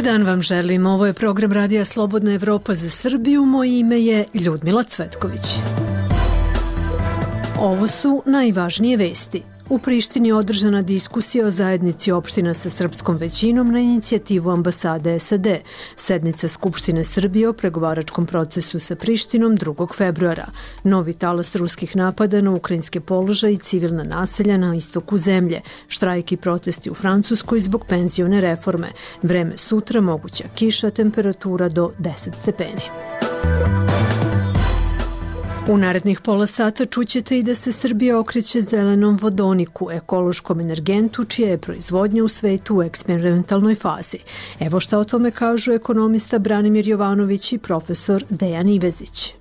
dan vam želim. Ovo je program Radija Slobodna Evropa za Srbiju. Moje ime je Ljudmila Cvetković. Ovo su najvažnije vesti. U Prištini je održana diskusija o zajednici opština sa srpskom većinom na inicijativu ambasade SAD. Sednica Skupštine Srbije o pregovaračkom procesu sa Prištinom 2. februara. Novi talas ruskih napada na ukrajinske položaje i civilna naselja na istoku zemlje. Štrajk i protesti u Francuskoj zbog penzione reforme. Vreme sutra, moguća kiša, temperatura do 10 stepeni. U narednih pola sata čućete i da se Srbija okreće zelenom vodoniku, ekološkom energentu čija je proizvodnja u svetu u eksperimentalnoj fazi. Evo šta o tome kažu ekonomista Branimir Jovanović i profesor Dejan Ivezić.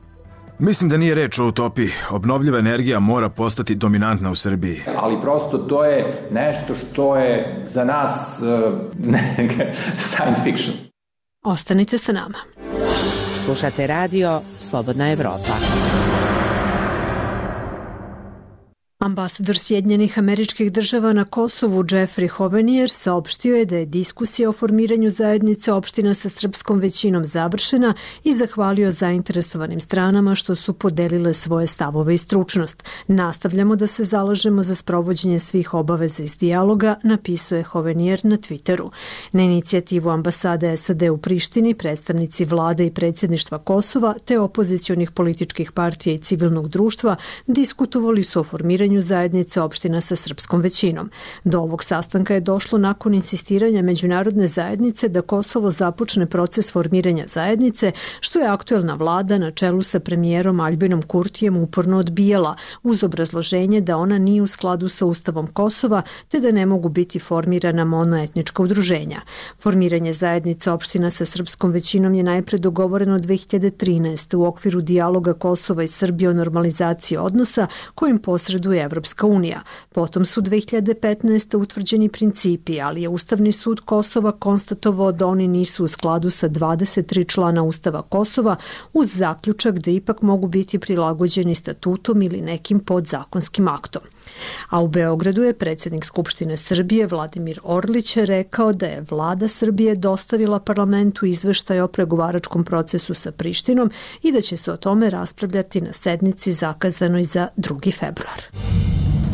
Mislim da nije reč o utopiji. Obnovljiva energija mora postati dominantna u Srbiji. Ali prosto to je nešto što je za nas science fiction. Ostanite sa nama. Slušate radio Slobodna Evropa. Ambasador Sjedinjenih Američkih Država na Kosovu Jeffrey Hovenier saopštio je da je diskusija o formiranju zajednice opština sa srpskom većinom završena i zahvalio zainteresovanim stranama što su podelile svoje stavove i stručnost. Nastavljamo da se zalažemo za sprovođenje svih obaveza iz dijaloga, napisao je Hovenier na Twitteru. Na inicijativu ambasade SAD u Prištini, predstavnici vlade i predsjedništva Kosova te opozicionih političkih partija i civilnog društva diskutovali su o formiranju zajednice opština sa srpskom većinom. Do ovog sastanka je došlo nakon insistiranja međunarodne zajednice da Kosovo započne proces formiranja zajednice, što je aktuelna vlada na čelu sa premijerom Aljbinom Kurtijem uporno odbijala, uz obrazloženje da ona nije u skladu sa Ustavom Kosova, te da ne mogu biti formirana monoetnička udruženja. Formiranje zajednice opština sa srpskom većinom je najpre dogovoreno 2013. u okviru dijaloga Kosova i Srbije o normalizaciji odnosa kojim posreduje Evropska unija. Potom su 2015. utvrđeni principi, ali je Ustavni sud Kosova konstatovao da oni nisu u skladu sa 23 člana Ustava Kosova uz zaključak da ipak mogu biti prilagođeni statutom ili nekim podzakonskim aktom. A u Beogradu je predsjednik Skupštine Srbije Vladimir Orlić rekao da je vlada Srbije dostavila parlamentu izveštaj o pregovaračkom procesu sa Prištinom i da će se o tome raspravljati na sednici zakazanoj za 2. februar.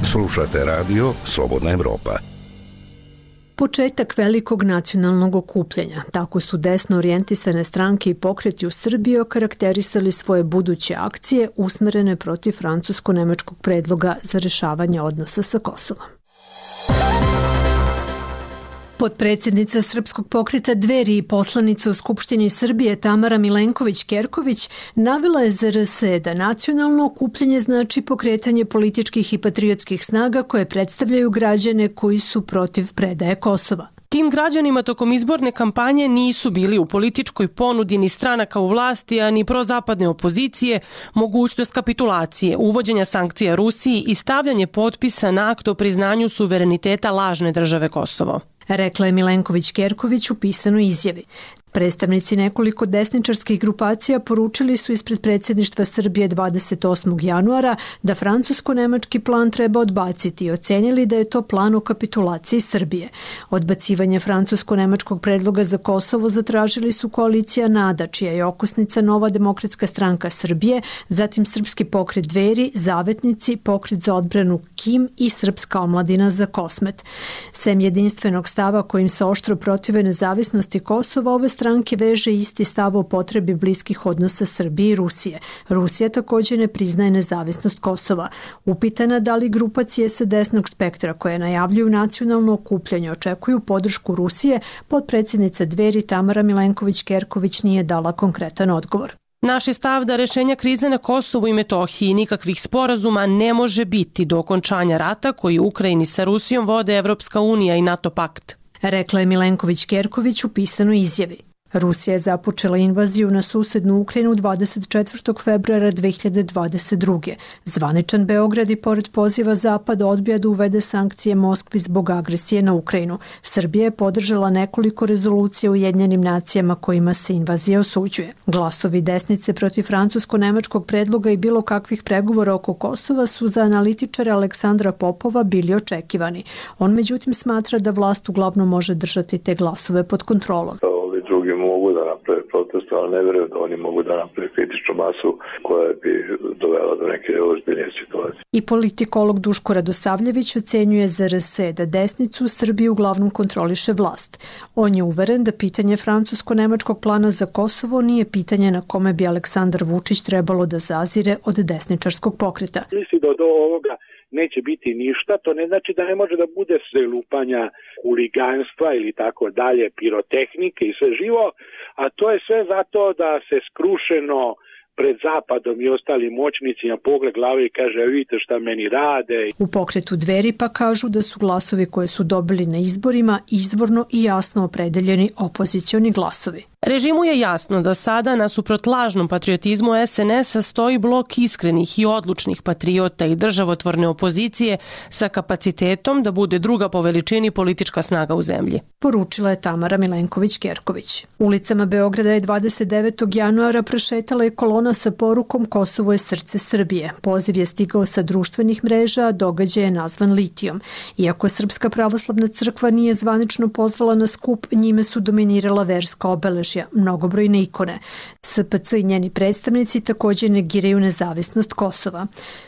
Slušate radio Slobodna Evropa. Početak velikog nacionalnog okupljanja. Tako su desno orijentisane stranke i pokreti u Srbiji okarakterisali svoje buduće akcije usmerene protiv francusko-nemačkog predloga za rešavanje odnosa sa Kosovom. Potpredsjednica Srpskog pokreta Dveri i poslanica u Skupštini Srbije Tamara Milenković-Kerković navela je za RS da nacionalno okupljanje znači pokretanje političkih i patriotskih snaga koje predstavljaju građane koji su protiv predaje Kosova. Tim građanima tokom izborne kampanje nisu bili u političkoj ponudi ni stranaka u vlasti, a ni prozapadne opozicije, mogućnost kapitulacije, uvođenja sankcija Rusiji i stavljanje potpisa na akt o priznanju suvereniteta lažne države Kosovo. Rekla je Milenković-Kerković u pisanoj izjavi. Predstavnici nekoliko desničarskih grupacija poručili su ispred predsjedništva Srbije 28. januara da francusko-nemački plan treba odbaciti i ocenili da je to plan o kapitulaciji Srbije. Odbacivanje francusko-nemačkog predloga za Kosovo zatražili su koalicija NADA, čija je okosnica Nova demokratska stranka Srbije, zatim Srpski pokret Dveri, Zavetnici, Pokret za odbranu KIM i Srpska omladina za Kosmet. Sem jedinstvenog stava kojim se oštro protive nezavisnosti Kosova, ove stranke veže isti stav o potrebi bliskih odnosa Srbije i Rusije. Rusija također ne priznaje nezavisnost Kosova. Upitana da li grupacije sa desnog spektra koje najavljuju nacionalno okupljanje očekuju podršku Rusije, potpredsjednica Dveri Tamara Milenković-Kerković nije dala konkretan odgovor. Naš je stav da rešenja krize na Kosovu i Metohiji nikakvih sporazuma ne može biti do okončanja rata koji u Ukrajini sa Rusijom vode Evropska unija i NATO pakt. Rekla je Milenković-Kerković u pisanoj izjavi. Rusija je započela invaziju na susednu Ukrajinu 24. februara 2022. Zvaničan Beograd i pored poziva Zapada odbija da uvede sankcije Moskvi zbog agresije na Ukrajinu. Srbija je podržala nekoliko rezolucija u Ujedinjenim nacijama kojima se invazija osuđuje. Glasovi desnice protiv francusko-nemačkog predloga i bilo kakvih pregovora oko Kosova su za analitičara Aleksandra Popova bili očekivani. On međutim smatra da vlast uglavnom može držati te glasove pod kontrolom. da naprave protest, ali ne verujem da oni mogu da naprave kritičnu masu koja bi dovela do neke ozbiljnije situacije. I politikolog Duško Radosavljević ocenjuje za RS da desnicu u Srbiji uglavnom kontroliše vlast. On je uveren da pitanje francusko-nemačkog plana za Kosovo nije pitanje na kome bi Aleksandar Vučić trebalo da zazire od desničarskog pokreta. Misli da od ovoga neće biti ništa, to ne znači da ne može da bude sve lupanja, huliganstva ili tako dalje, pirotehnike i sve živo, a to je sve zato da se skrušeno pred Zapadom i ostalim moćnicima pogled glave i kaže vidite šta meni rade. U pokretu Dveri pa kažu da su glasovi koje su dobili na izborima izvorno i jasno opredeljeni opozicioni glasovi. Režimu je jasno da sada nasuprot lažnom patriotizmu SNS-a stoji blok iskrenih i odlučnih patriota i državotvorne opozicije sa kapacitetom da bude druga po veličini politička snaga u zemlji. Poručila je Tamara Milenković-Kerković. Ulicama Beograda je 29. januara prošetala je kolona sa porukom Kosovo je srce Srbije. Poziv je stigao sa društvenih mreža, a događaj je nazvan litijom. Iako Srpska pravoslavna crkva nije zvanično pozvala na skup, njime su dominirala verska obeležja, mnogobrojne ikone. SPC i njeni predstavnici također negiraju nezavisnost Kosova.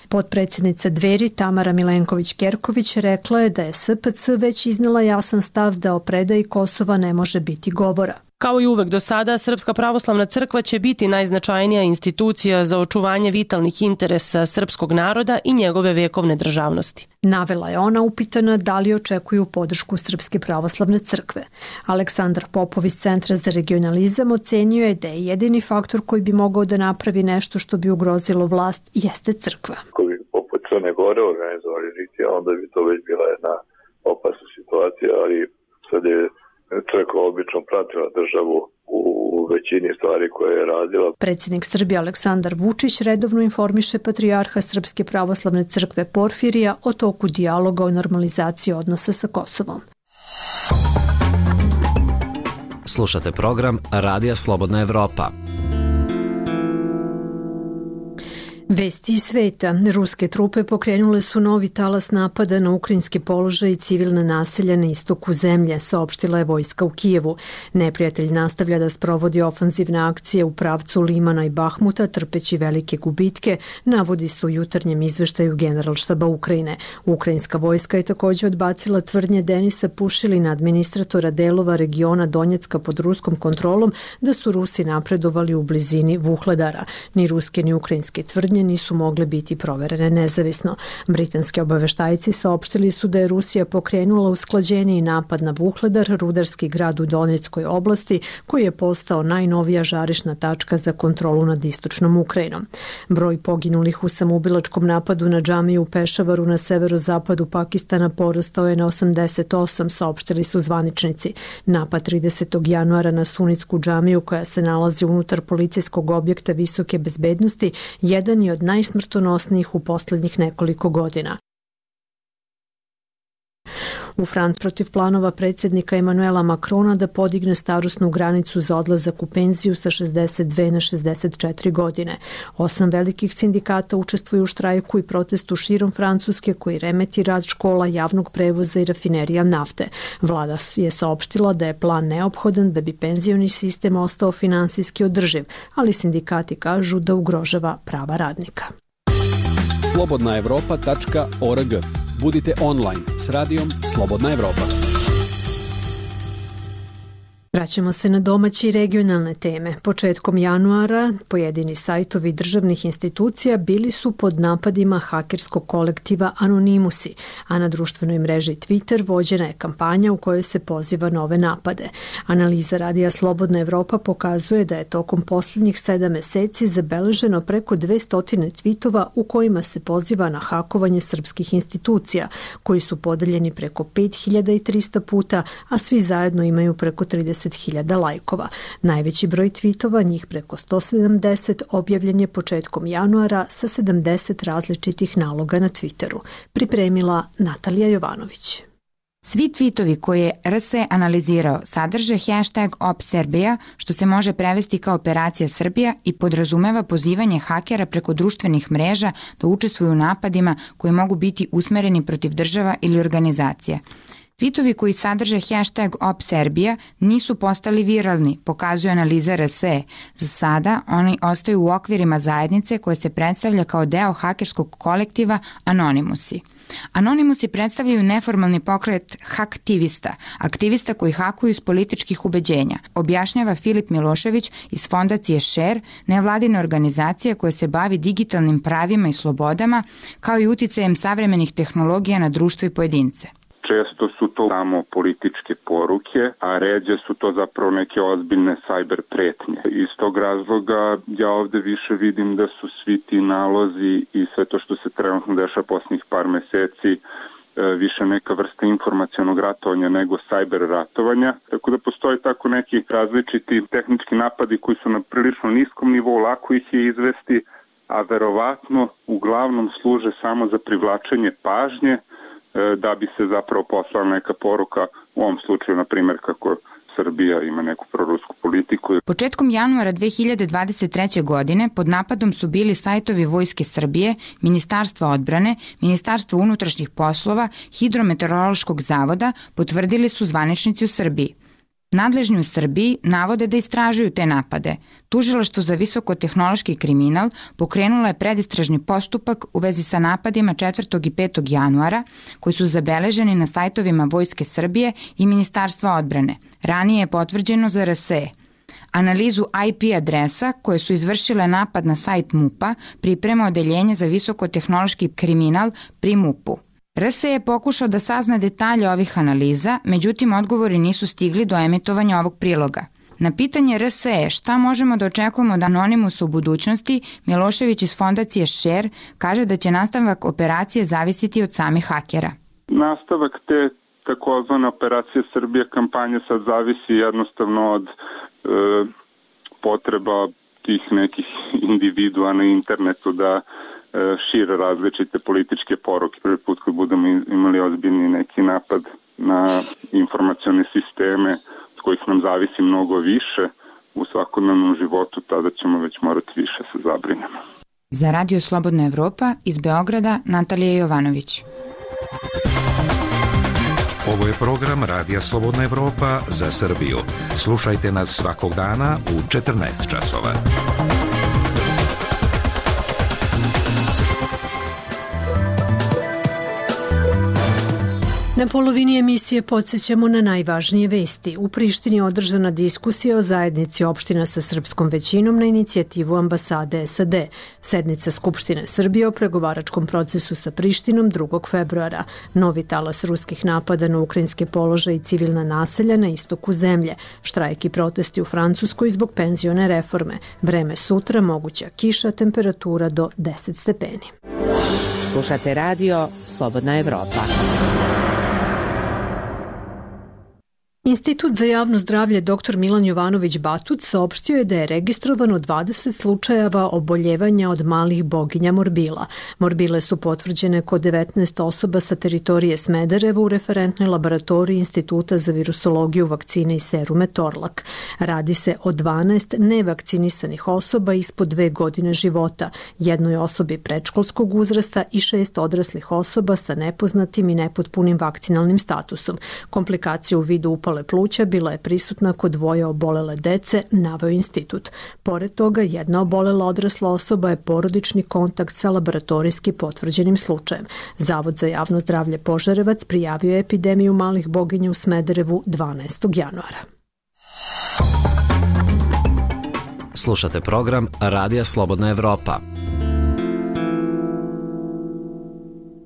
Potpredsjednica Dveri Tamara Milenković-Kerković rekla je da je SPC već iznela jasan stav da o predaji Kosova ne može biti govora. Kao i uvek do sada, Srpska pravoslavna crkva će biti najznačajnija institucija za očuvanje vitalnih interesa srpskog naroda i njegove vekovne državnosti. Navela je ona upitana da li očekuju podršku Srpske pravoslavne crkve. Aleksandar Popov iz Centra za regionalizam ocenio je da je jedini faktor koji bi mogao da napravi nešto što bi ugrozilo vlast jeste crkva. Ako bi poput Crne Gore organizovali litija, onda bi to već bila jedna opasna situacija, ali sad je crkva obično pratila državu u većini stvari koje je radila. Predsjednik Srbije Aleksandar Vučić redovno informiše patrijarha Srpske pravoslavne crkve Porfirija o toku dijaloga o normalizaciji odnosa sa Kosovom. Slušate program Radija Slobodna Evropa. Vesti iz sveta. Ruske trupe pokrenule su novi talas napada na ukrajinske položaje i civilne naselja na istoku zemlje, saopštila je vojska u Kijevu. Neprijatelj nastavlja da sprovodi ofanzivne akcije u pravcu Limana i Bahmuta, trpeći velike gubitke, navodi se u jutarnjem izveštaju Generalštaba Ukrajine. Ukrajinska vojska je također odbacila tvrdnje Denisa Pušilina, administratora delova regiona Donjecka pod ruskom kontrolom, da su Rusi napredovali u blizini Vuhledara. Ni ruske ni ukrajinske tvrdnje nisu mogle biti proverene nezavisno. Britanski obaveštajci saopštili su da je Rusija pokrenula usklađeniji napad na Vuhledar, rudarski grad u Donjeckoj oblasti, koji je postao najnovija žarišna tačka za kontrolu nad istočnom Ukrajinom. Broj poginulih u samoubilačkom napadu na džamiju u Pešavaru na severozapadu Pakistana porastao je na 88, saopštili su zvaničnici. Napad 30. januara na sunitsku džamiju, koja se nalazi unutar policijskog objekta visoke bezbednosti, jedan je od najsmrtonosnijih u posljednjih nekoliko godina. U Franc protiv planova predsjednika Emanuela Macrona da podigne starosnu granicu za odlazak u penziju sa 62 na 64 godine. 8 velikih sindikata učestvuju u štrajku i protestu širom Francuske koji remeti rad škola, javnog prevoza i rafinerija nafte. Vlada je saopštila da je plan neophodan da bi penzioni sistem ostao finansijski održiv, ali sindikati kažu da ugrožava prava radnika. slobodnaevropa.org. Budite online s radijom Slobodna Evropa. Vraćamo se na domaće i regionalne teme. Početkom januara pojedini sajtovi državnih institucija bili su pod napadima hakerskog kolektiva Anonimusi, a na društvenoj mreži Twitter vođena je kampanja u kojoj se poziva na ove napade. Analiza radija Slobodna Evropa pokazuje da je tokom posljednjih 7 meseci zabeleženo preko 200 tweetova u kojima se poziva na hakovanje srpskih institucija, koji su podeljeni preko 5300 puta, a svi zajedno imaju preko 30.000 lajkova. Najveći broj tweetova, njih preko 170, objavljen je početkom januara sa 70 različitih naloga na Twitteru. Pripremila Natalija Jovanović. Svi tweetovi koje je RS analizirao sadrže hashtag OpSerbia, što se može prevesti kao Operacija Srbija i podrazumeva pozivanje hakera preko društvenih mreža da učestvuju u napadima koji mogu biti usmereni protiv država ili organizacija. Tvitovi koji sadrže hashtag OpSerbia nisu postali viralni, pokazuje analiza RSE. Za sada oni ostaju u okvirima zajednice koja se predstavlja kao deo hakerskog kolektiva Anonymusi. Anonymusi predstavljaju neformalni pokret haktivista, aktivista koji hakuju iz političkih ubeđenja, objašnjava Filip Milošević iz fondacije Share, nevladine organizacije koja se bavi digitalnim pravima i slobodama, kao i uticajem savremenih tehnologija na društvo i pojedince. Često su to samo političke poruke, a ređe su to zapravo neke ozbiljne cyber pretnje. Iz tog razloga ja ovde više vidim da su svi ti nalozi i sve to što se trenutno dešava posljednjih par meseci više neka vrsta informacionog ratovanja nego cyber ratovanja. Tako da postoje tako neki različiti tehnički napadi koji su na prilično niskom nivou, lako ih je izvesti, a verovatno uglavnom služe samo za privlačenje pažnje, da bi se zapravo poslala neka poruka, u ovom slučaju, na primjer, kako Srbija ima neku prorusku politiku. Početkom januara 2023. godine pod napadom su bili sajtovi Vojske Srbije, Ministarstva odbrane, Ministarstva unutrašnjih poslova, Hidrometeorološkog zavoda, potvrdili su zvaničnici u Srbiji. Nadležni u Srbiji navode da istražuju te napade. Tužilaštvo za visokotehnološki kriminal pokrenulo je predistražni postupak u vezi sa napadima 4. i 5. januara koji su zabeleženi na sajtovima Vojske Srbije i Ministarstva odbrane. Ranije je potvrđeno za RSE. Analizu IP adresa koje su izvršile napad na sajt MUP-a priprema Odeljenje za visokotehnološki kriminal pri MUP-u. RSE je pokušao da sazna detalje ovih analiza, međutim odgovori nisu stigli do emitovanja ovog priloga. Na pitanje RSE šta možemo da očekujemo od Anonymusa u budućnosti, Milošević iz fondacije Share kaže da će nastavak operacije zavisiti od samih hakera. Nastavak te takozvane operacije Srbije kampanje sad zavisi jednostavno od potreba tih nekih individua na internetu da šire različite političke poruke. Prvi put kad budemo imali ozbiljni neki napad na informacione sisteme od kojih nam zavisi mnogo više u svakodnevnom životu, tada ćemo već morati više se zabrinemo. Za Radio Slobodna Evropa iz Beograda Natalija Jovanović. Ovo je program Radija Slobodna Evropa za Srbiju. Slušajte nas svakog dana u 14 časova. Na polovini emisije podsjećamo na najvažnije vesti. U Prištini je održana diskusija o zajednici opština sa srpskom većinom na inicijativu ambasade SAD. Sednica Skupštine Srbije o pregovaračkom procesu sa Prištinom 2. februara. Novi talas ruskih napada na ukrajinske položaje i civilna naselja na istoku zemlje. Štrajk i protesti u Francuskoj zbog penzione reforme. Vreme sutra, moguća kiša, temperatura do 10 stepeni. Slušate radio Slobodna Evropa. Institut za javno zdravlje dr. Milan Jovanović Batut saopštio je da je registrovano 20 slučajeva oboljevanja od malih boginja morbila. Morbile su potvrđene kod 19 osoba sa teritorije Smedereva u referentnoj laboratoriji Instituta za virusologiju, vakcine i serume Torlak. Radi se o 12 nevakcinisanih osoba ispod 2 godine života, jednoj osobi predškolskog uzrasta i 6 odraslih osoba sa nepoznatim i nepotpunim vakcinalnim statusom. Komplikacije u vidu upale pluća bila je prisutna kod 2 obolele dece, naveo institut. Pored toga, jedna obolela odrasla osoba je porodični kontakt sa laboratorijski potvrđenim slučajem. Zavod za javno zdravlje Požarevac prijavio je epidemiju malih boginja u Smederevu 12. januara. Slušate program Radija Slobodna Evropa.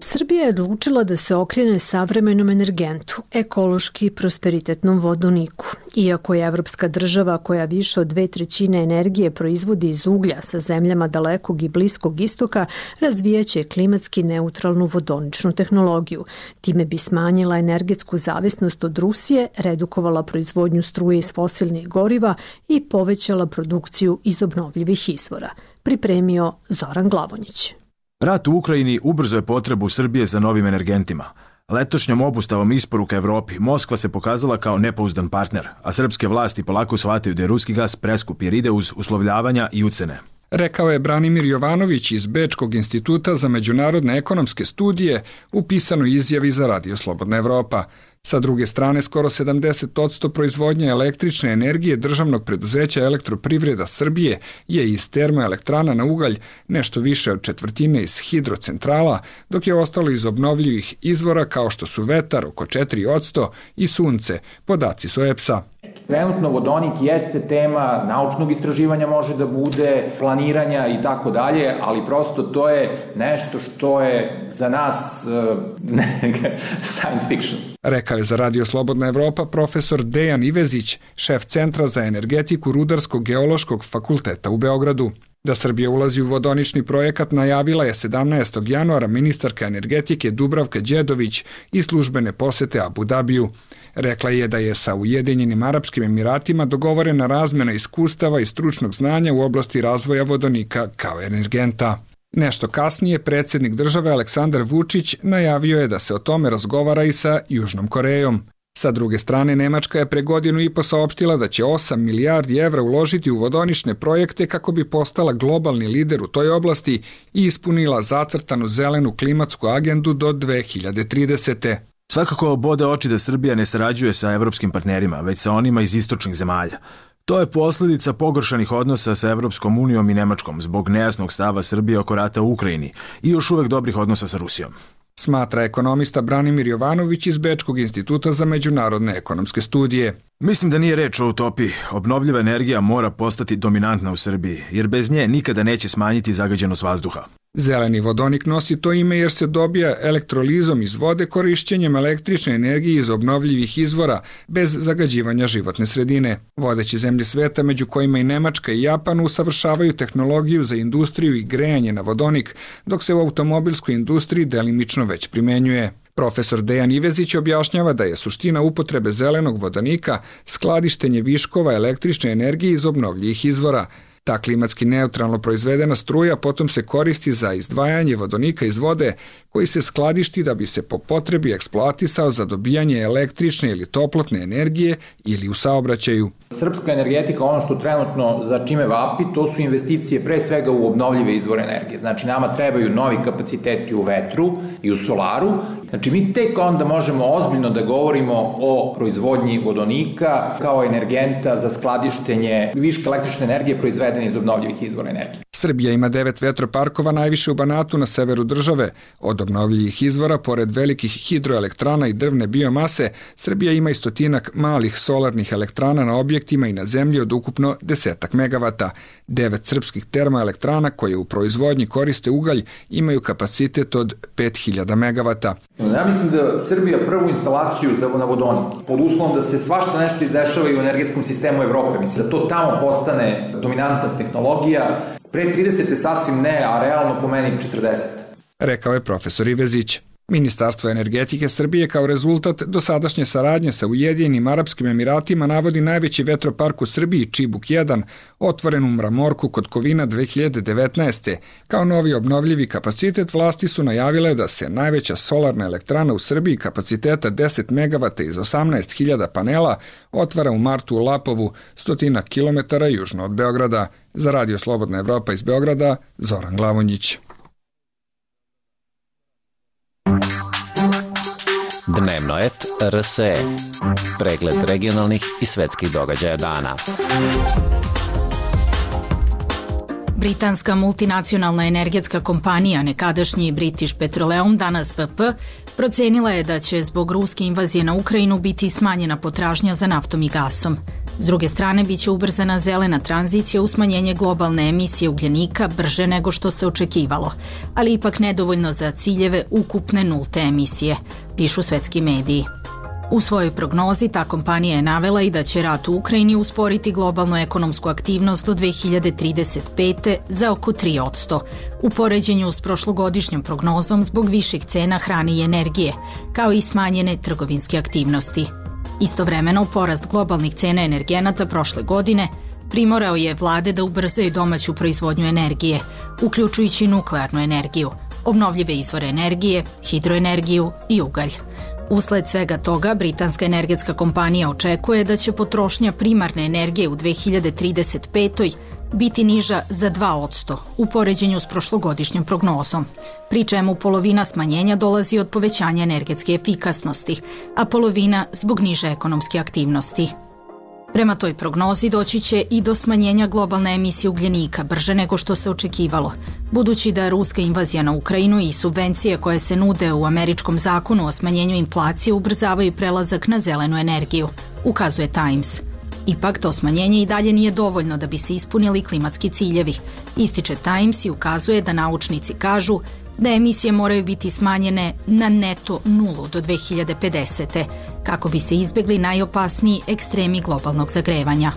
Srbija je odlučila da se okrene savremenom energentu, ekološki i prosperitetnom vodoniku. Iako je evropska država koja više od 2/3 energije proizvodi iz uglja sa zemljama dalekog i bliskog istoka, razvijaće klimatski neutralnu vodoničnu tehnologiju. Time bi smanjila energetsku zavisnost od Rusije, redukovala proizvodnju struje iz fosilnih goriva i povećala produkciju iz obnovljivih izvora. Pripremio Zoran Glavonjić. Rat u Ukrajini ubrzo je potrebu Srbije za novim energentima. Letošnjom obustavom isporuka Evropi Moskva se pokazala kao nepouzdan partner, a srpske vlasti polako shvataju da je ruski gas preskup jer ide uz uslovljavanja i ucene. Rekao je Branimir Jovanović iz Bečkog instituta za međunarodne ekonomske studije u pisanoj izjavi za Radio Slobodna Evropa. Sa druge strane, skoro 70% proizvodnje električne energije državnog preduzeća Elektroprivreda Srbije je iz termoelektrana na ugalj, nešto više od četvrtine iz hidrocentrala, dok je ostalo iz obnovljivih izvora kao što su vetar oko 4% i sunce, podaci su EPS-a. Trenutno vodonik jeste tema naučnog istraživanja, može da bude planiranja i tako dalje, ali prosto to je nešto što je za nas science fiction. Rekao je za Radio Slobodna Evropa profesor Dejan Ivezić, šef Centra za energetiku Rudarsko-geološkog fakulteta u Beogradu. Da Srbija ulazi u vodonični projekat najavila je 17. januara ministarka energetike Dubravka Đedović i službene posete Abu Dabiju. Rekla je da je sa Ujedinjenim Arapskim Emiratima dogovorena razmena iskustava i stručnog znanja u oblasti razvoja vodonika kao energenta. Nešto kasnije predsjednik države Aleksandar Vučić najavio je da se o tome razgovara i sa Južnom Korejom. Sa druge strane, Nemačka je pre godinu i po saopštila da će 8 milijardi evra uložiti u vodonične projekte kako bi postala globalni lider u toj oblasti i ispunila zacrtanu zelenu klimatsku agendu do 2030. Svakako bode oči da Srbija ne sarađuje sa evropskim partnerima, već sa onima iz istočnih zemalja. To je posljedica pogoršanih odnosa sa Evropskom unijom i Nemačkom zbog nejasnog stava Srbije oko rata u Ukrajini i još uvek dobrih odnosa sa Rusijom. Smatra ekonomista Branimir Jovanović iz Bečkog instituta za međunarodne ekonomske studije. Mislim da nije reč o utopiji. Obnovljiva energija mora postati dominantna u Srbiji, jer bez nje nikada neće smanjiti zagađenost vazduha. Zeleni vodonik nosi to ime jer se dobija elektrolizom iz vode korišćenjem električne energije iz obnovljivih izvora bez zagađivanja životne sredine. Vodeće zemlje sveta, među kojima i Nemačka i Japan, usavršavaju tehnologiju za industriju i grejanje na vodonik, dok se u automobilskoj industriji delimično već primenjuje. Profesor Dejan Ivezić objašnjava da je suština upotrebe zelenog vodonika skladištenje viškova električne energije iz obnovljivih izvora. Ta klimatski neutralno proizvedena struja potom se koristi za izdvajanje vodonika iz vode koji se skladišti da bi se po potrebi eksploatisao za dobijanje električne ili toplotne energije ili u saobraćaju. Srpska energetika, ono što trenutno za čime vapi, to su investicije pre svega u obnovljive izvore energije. Znači nama trebaju novi kapaciteti u vetru i u solaru. Znači mi tek onda možemo ozbiljno da govorimo o proizvodnji vodonika kao energenta za skladištenje viška električne energije proizvedene iz obnovljivih izvora energije. Srbija ima 9 vetroparkova, najviše u Banatu na severu države. Od obnovljivih izvora, pored velikih hidroelektrana i drvne biomase, Srbija ima i stotinak malih solarnih elektrana na objektima i na zemlji od ukupno 10 megavata. 9 srpskih termoelektrana koje u proizvodnji koriste ugalj imaju kapacitet od 5000 megavata. Ja mislim da Srbija prvu instalaciju na vodonik, pod uslovom da se svašta nešto izdešava i u energetskom sistemu Evrope, mislim da to tamo postane dominantna tehnologija, pre 30. sasvim ne, a realno po meni 40. Rekao je profesor Ivezić. Ministarstvo energetike Srbije kao rezultat dosadašnje saradnje sa Ujedinjenim Arapskim Emiratima navodi najveći vetropark u Srbiji, Čibuk 1, otvoren u Mramorku kod Kovina 2019. Kao novi obnovljivi kapacitet vlasti su najavile da se najveća solarna elektrana u Srbiji kapaciteta 10 megavata iz 18.000 panela otvara u martu u Lapovu, 100 km južno od Beograda. Za Radio Slobodna Evropa iz Beograda, Zoran Glavonjić. Dnevnoet RSE. Pregled regionalnih i svetskih događaja dana. Britanska multinacionalna energetska kompanija, nekadašnji British Petroleum, danas BP, procenila je da će zbog ruske invazije na Ukrajinu biti smanjena potražnja za naftom i gasom. S druge strane, biće ubrzana zelena tranzicija u smanjenje globalne emisije ugljenika brže nego što se očekivalo, ali ipak nedovoljno za ciljeve ukupne nulte emisije, pišu svetski mediji. U svojoj prognozi ta kompanija je navela i da će rat u Ukrajini usporiti globalnu ekonomsku aktivnost do 2035. za oko 3%, u poređenju s prošlogodišnjom prognozom zbog viših cena hrane i energije, kao i smanjene trgovinske aktivnosti. Istovremeno, porast globalnih cena energenata prošle godine primorao je vlade da ubrzaju domaću proizvodnju energije, uključujući nuklearnu energiju, obnovljive izvore energije, hidroenergiju i ugalj. Usled svega toga, britanska energetska kompanija očekuje da će potrošnja primarne energije u 2035. biti niža za 2% u poređenju s prošlogodišnjom prognozom, pri čemu polovina smanjenja dolazi od povećanja energetske efikasnosti, a polovina zbog niže ekonomske aktivnosti. Prema toj prognozi doći će i do smanjenja globalne emisije ugljenika brže nego što se očekivalo, budući da ruska invazija na Ukrajinu i subvencije koje se nude u američkom zakonu o smanjenju inflacije ubrzavaju prelazak na zelenu energiju, ukazuje Times. Ipak to smanjenje i dalje nije dovoljno da bi se ispunili klimatski ciljevi, ističe Times i ukazuje da naučnici kažu da emisije moraju biti smanjene na neto nulu do 2050. kako bi se izbjegli najopasniji ekstremi globalnog zagrevanja.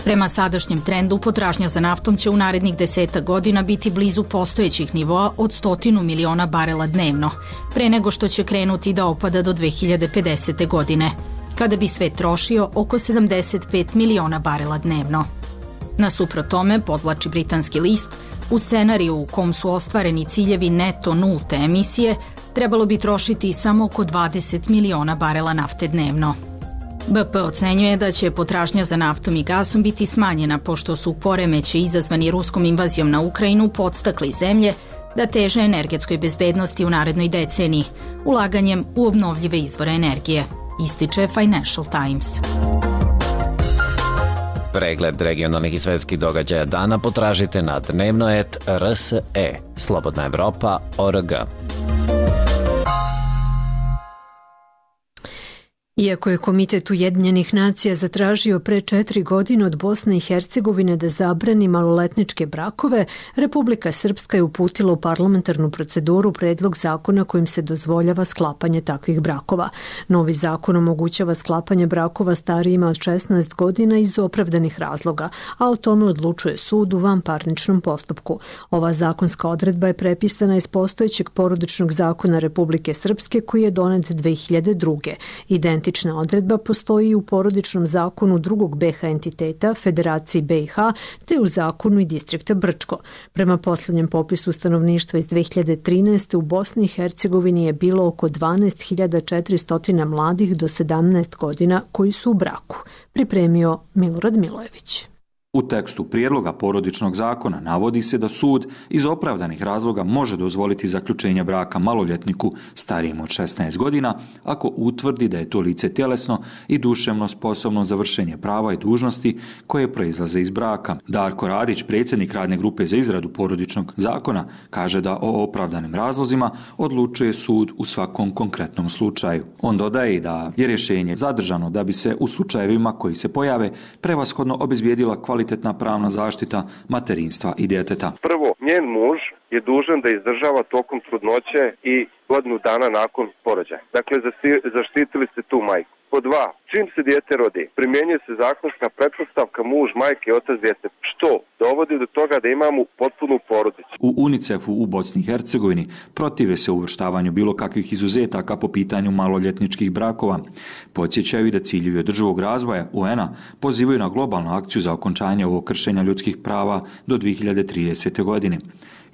Prema sadašnjem trendu, potražnja za naftom će u narednih 10 godina biti blizu postojećih nivoa od 100 miliona barela dnevno, pre nego što će krenuti da opada do 2050. godine, kada bi svet trošio oko 75 miliona barela dnevno. Nasuprot tome, podvlači britanski list, u scenariju u kom su ostvareni ciljevi neto nulte emisije, trebalo bi trošiti samo oko 20 miliona barela nafte dnevno. BP ocenjuje da će potražnja za naftom i gasom biti smanjena pošto su poremeći izazvani ruskom invazijom na Ukrajinu podstakli zemlje da teže energetskoj bezbednosti u narednoj deceniji, ulaganjem u obnovljive izvore energije, ističe Financial Times. Pregled regionalnih i svetskih događaja dana potražite na dnevnoet.rse, slobodnaevropa.org. Iako je Komitet Ujedinjenih nacija zatražio pre 4 godine od Bosne i Hercegovine da zabrani maloletničke brakove, Republika Srpska je uputila u parlamentarnu proceduru predlog zakona kojim se dozvoljava sklapanje takvih brakova. Novi zakon omogućava sklapanje brakova starijima od 16 godina iz opravdanih razloga, a o tome odlučuje sud u vanparničnom postupku. Ova zakonska odredba je prepisana iz postojećeg porodičnog zakona Republike Srpske koji je donet 2002. Identična odredba postoji i u porodičnom zakonu drugog BiH entiteta, Federaciji BiH, te u zakonu i distrikta Brčko. Prema posljednjem popisu stanovništva iz 2013. u Bosni i Hercegovini je bilo oko 12.400 mladih do 17 godina koji su u braku. Pripremio Milorad Milojević. U tekstu prijedloga porodičnog zakona navodi se da sud iz opravdanih razloga može dozvoliti zaključenje braka maloljetniku starijem od 16 godina ako utvrdi da je to lice tjelesno i duševno sposobno za vršenje prava i dužnosti koje proizlaze iz braka. Darko Radić, predsjednik radne grupe za izradu porodičnog zakona, kaže da o opravdanim razlozima odlučuje sud u svakom konkretnom slučaju. On dodaje i da je rješenje zadržano da bi se u slučajevima koji se pojave prevashodno obezbijedila kvalitetna pravna zaštita materinstva i djeteta. Prvo, njen muž je dužan da izdržava tokom trudnoće i godinu dana nakon porođaja. Dakle, zaštitili ste tu majku. Po dva, čim se dijete rodi, primjenjuje se zakonska pretpostavka muž, majke i otac djece, što dovodi do toga da imamo potpunu porodicu. U UNICEF-u u Bosni i Hercegovini protive se uvrštavanju bilo kakvih izuzetaka po pitanju maloljetničkih brakova. Podsjećaju i da ciljevi održivog razvoja UN-a pozivaju na globalnu akciju za okončanje ovog kršenja ljudskih prava do 2030. godine.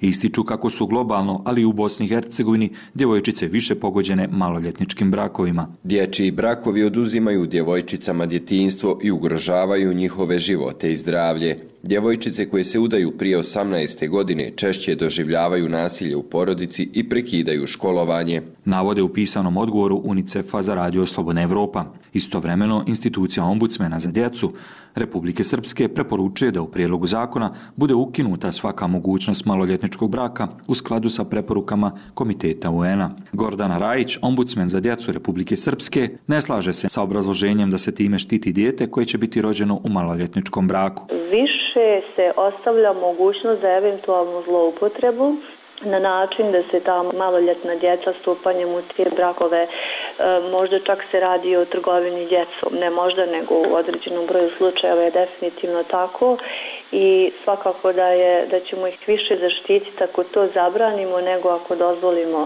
Ističu kako su globalno, ali i u Bosni i Hercegovini, djevojčice više pogođene maloljetničkim brakovima. Dječji brakovi oduzimaju djevojčicama djetinjstvo i ugrožavaju njihove živote i zdravlje. Djevojčice koje se udaju prije 18. godine češće doživljavaju nasilje u porodici i prekidaju školovanje. Navode u pisanom odgovoru UNICEF-a za radio Slobodna Evropa. Istovremeno, institucija ombudsmena za djecu Republike Srpske preporučuje da u prijedlogu zakona bude ukinuta svaka mogućnost maloljetničkog braka u skladu sa preporukama Komiteta UN-a. Gordana Rajić, ombudsmen za djecu Republike Srpske, ne slaže se sa obrazloženjem da se time štiti dijete koje će biti rođeno u maloljetničkom braku. Više se ostavlja mogućnost za eventualnu zloupotrebu na način da se ta maloljetna djeca stupanjem u te brakove, možda čak se radi o trgovini djecom, ne možda nego u određenom broju slučajeva je definitivno tako i svakako da ćemo ih više zaštititi ako to zabranimo nego ako dozvolimo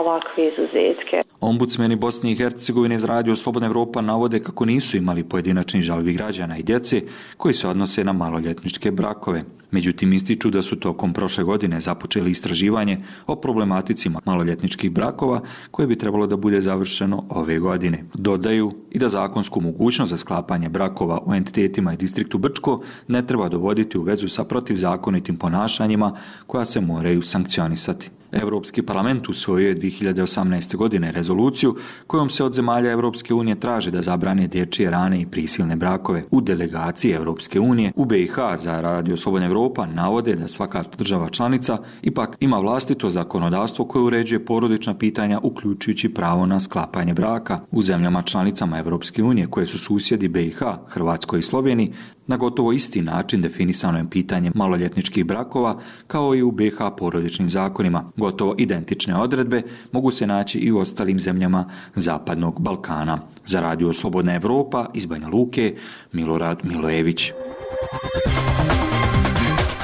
ovakve izuzetke. Ombudsmeni Bosne i Hercegovine iz Radio Slobodna Evropa navode kako nisu imali pojedinačni žalbi građana i djece koji se odnose na maloljetničke brakove. Međutim, ističu da su tokom prošle godine započeli istraživanje o problematici maloljetničkih brakova koje bi trebalo da bude završeno ove godine. Dodaju i da zakonsku mogućnost za sklapanje brakova u entitetima i distriktu Brčko ne treba dovoditi u vezu sa protivzakonitim ponašanjima koja se moraju sankcionisati. Europski parlament usvojio je 2018. godine rezoluciju kojom se od zemalja Europske unije traži da zabrane dječje rane i prisilne brakove. U delegaciji Europske unije u BiH za Radio Slobodna Evropa navode da svaka država članica ipak ima vlastito zakonodavstvo koje uređuje porodična pitanja uključujući pravo na sklapanje braka. U zemljama članicama Europske unije koje su susjedi BiH, Hrvatskoj i Sloveniji, na gotovo isti način definisano je pitanje maloljetničkih brakova kao i u BiH porodičnim zakonima. Gotovo identične odredbe mogu se naći i u ostalim zemljama Zapadnog Balkana. Za Radio Slobodna Evropa iz Banja Luke, Milorad Milojević.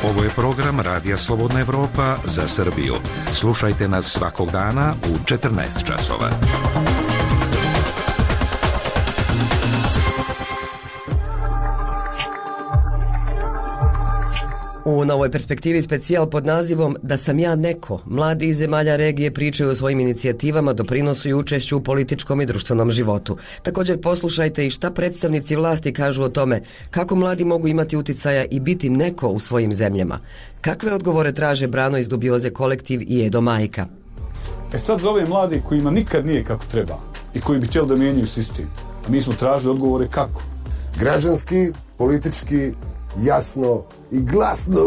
Ovo je program Radija Slobodna Evropa za Srbiju. Slušajte nas svakog dana u 14 časova. U Novoj perspektivi specijal pod nazivom Da sam ja neko, mladi iz zemalja regije pričaju o svojim inicijativama, doprinosu i učešću u političkom i društvenom životu. Također poslušajte i šta predstavnici vlasti kažu o tome kako mladi mogu imati uticaja i biti neko u svojim zemljama. Kakve odgovore traže Brano iz Dubioze kolektiv i Edo Majka. Sad za ove mlade kojima nikad nije kako treba i koji bi htjeli da mijenjaju sistem, mi smo tražili odgovore kako. Građanski, politički, jasno i glasno.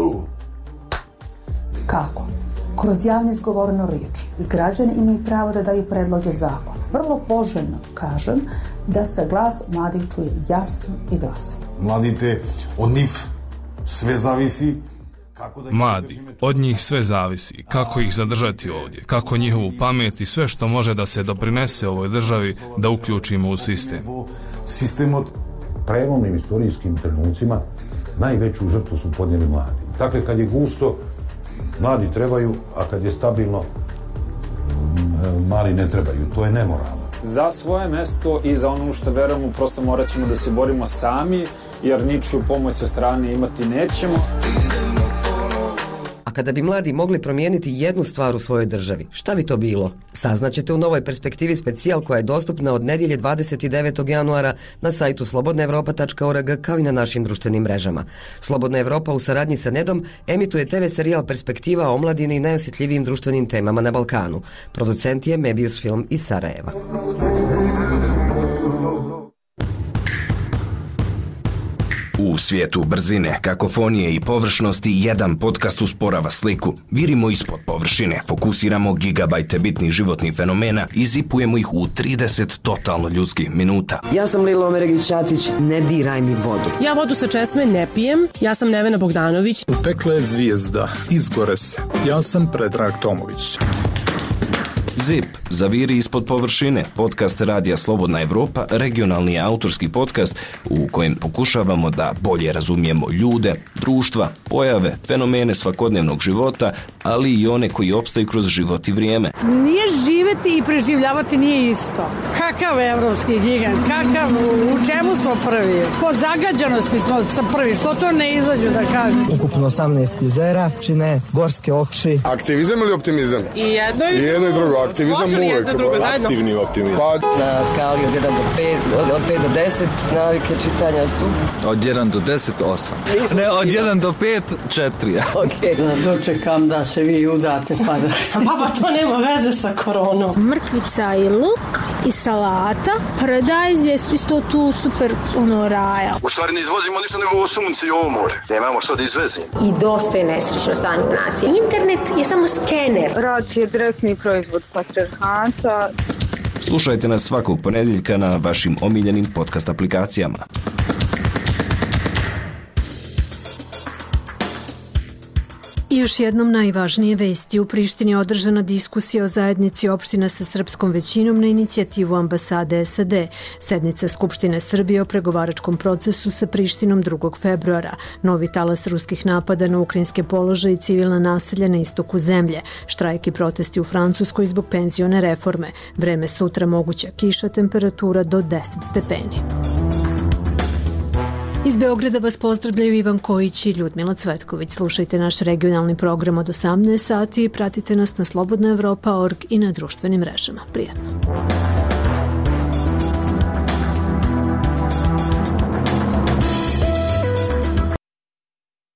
Kako? Kroz javno izgovorenu riječ. I građani imaju pravo da daju predloge zakona. Vrlo poželjno kažem da se glas mladih čuje jasno i glasno. Mladite, od njih sve zavisi. Mladi, od njih sve zavisi. Kako ih zadržati ovdje, kako njihovu pamet i sve što može da se doprinese ovoj državi da uključimo u sistem. Sistem od prelomnim istorijskim trenucima najveću žrtvu su podnijeli mladi. Dakle, kad je gusto, mladi trebaju, a kad je stabilno, mali ne trebaju. To je nemoralno. Za svoje mesto i za ono što verujemo, prosto morat ćemo da se borimo sami, jer ničiju pomoć sa strane imati nećemo. A kada bi mladi mogli promijeniti jednu stvar u svojoj državi, šta bi to bilo? Saznaćete u Novoj perspektivi specijal koja je dostupna od nedjelje 29. januara na sajtu slobodnaevropa.org kao i na našim društvenim mrežama. Slobodna Evropa u saradnji sa Nedom emituje TV serijal Perspektiva o omladini i najosjetljivijim društvenim temama na Balkanu. Producent je Mebius Film iz Sarajeva. U svijetu brzine, kakofonije i površnosti jedan podcast usporava sliku. Virimo ispod površine, fokusiramo gigabajte bitnih životnih fenomena i zipujemo ih u 30 totalno ljudskih minuta. Ja sam Lilo Omeregić-Ćatić, ne diraj mi vodu. Ja vodu sa česme ne pijem, ja sam Nevena Bogdanović. Upekla je zvijezda, izgore se. Ja sam Predrag Tomović. ZIP, zaviri ispod površine, podcast Radija Slobodna Evropa, regionalni autorski podcast u kojem pokušavamo da bolje razumijemo ljude, društva, pojave, fenomene svakodnevnog života, ali i one koji opstaju kroz život i vrijeme. Nije živeti i preživljavati nije isto. Kakav evropski gigant, u čemu smo prvi? Po zagađanosti smo prvi, što to ne izađu da kažem. Ukupno 18 jezera, čine gorske oči. Aktivizam ili optimizam? I jedno i drugo. Aktivizam uvijek. Aktivni optimizam. Na skali od 1 do 5, od 5 do 10 navike čitanja su? Od 1 do 10, 8. Ne, od 1 do 5, 4. Ok. Dočekam da se vi udate pa da... Pa to nema veze sa koronom. Mrkvica i luk i salata. Paradajz je isto tu super raja. U stvari ne izvozimo ništa nego ovo sunce i ovo more. Nemamo što da izvezimo. I dosta je nesrećno stanje u naciji. Internet je samo skener. Rad je direktni proizvod patriarhata. Slušajte nas svakog ponedjeljka na vašim omiljenim podcast aplikacijama. I još jednom najvažnije vesti. U Prištini je održana diskusija o zajednici opština sa srpskom većinom na inicijativu ambasade SAD. Sednica Skupštine Srbije o pregovaračkom procesu sa Prištinom 2. februara. Novi talas ruskih napada na ukrajinske položaje i civilna naselja na istoku zemlje. Štrajk i protesti u Francuskoj zbog penzione reforme. Vreme sutra moguća kiša, temperatura do 10 stepeni. Iz Beograda vas pozdravljaju Ivan Kojić i Ljudmila Cvetković. Slušajte naš regionalni program od 18 sati i pratite nas na slobodnaevropa.org i na društvenim mrežama. Prijatno!